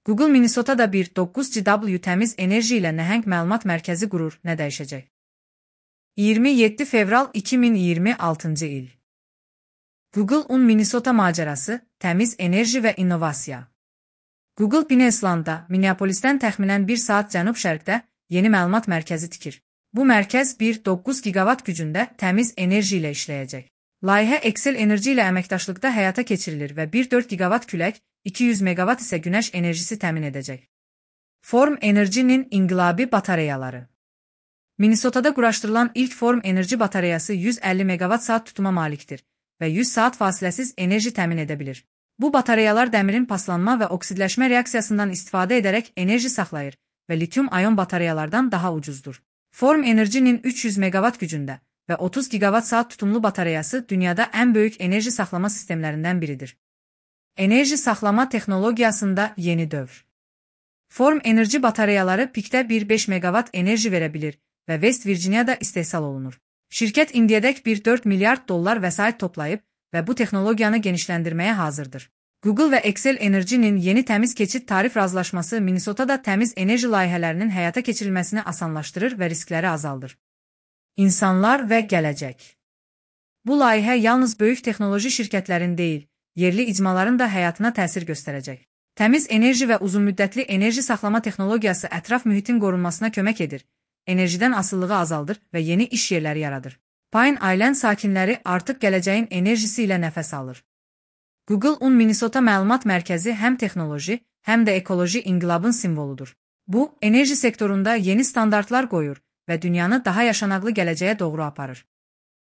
Google Minnesota'da bir 9GW təmiz enerji ilə nəhəng məlumat mərkəzi qurur, nə dəyişəcək? 27 fevral 2026 il. Google Un Minnesota macərası, təmiz enerji və innovasiya. Google Pinneslandda, Minneapolisdən təxminən 1 saat cənub-şərqdə yeni məlumat mərkəzi tikir. Bu mərkəz 1,9 gigavat gücündə təmiz enerji ilə işləyəcək. Layihə Excel Enerji ilə əməkdaşlıqda həyata keçirilir və 1,4 gigavat külək, 200 megavat isə günəş enerjisi təmin edəcək. Form Enerji'nin inqilabi batareyaları. Minnesota'da quraşdırılan ilk Form Enerji batareyası 150 megavat saat tutuma malikdir və 100 saat fasiləsiz enerji təmin edə bilir. Bu batareyalar dəmirin paslanma və oksidləşmə reaksiyasından istifadə edərək enerji saxlayır və lityum-ayon batareyalardan daha ucuzdur. Form Enerji'nin 300 megavat gücündə və 30 gigavat saat tutumlu batareyası dünyada ən böyük enerji saxlama sistemlərindən biridir. Enerji saxlama texnologiyasında yeni dövr. Form Enerji batareyaları pikdə 1,5 megavat enerji verə bilir və West Virginia'da istehsal olunur. Şirkət indiyədək 1,4 milyard dollar vəsait toplayıb və bu texnologiyanı genişləndirməyə hazırdır. Google və Excel Enerji'nin yeni təmiz keçid tarif razılaşması Minnesota'da təmiz enerji layihələrinin həyata keçirilməsini asanlaşdırır və riskləri azaldır. İnsanlar və gələcək. Bu layihə yalnız böyük texnoloji şirkətlərin deyil, yerli icmaların da həyatına təsir göstərəcək. Təmiz enerji və uzunmüddətli enerji saxlama texnologiyası ətraf mühitin qorunmasına kömək edir, enerjidən asılılığı azaldır və yeni iş yerləri yaradır. Pine Island sakinləri artıq gələcəyin enerjisi ilə nəfəs alır. Google Un Minnesota məlumat mərkəzi həm texnoloji, həm də ekoloji inqilabın simvoludur. Bu, enerji sektorunda yeni standartlar qoyur və dünyanı daha yaşanaqlı gələcəyə doğru aparır.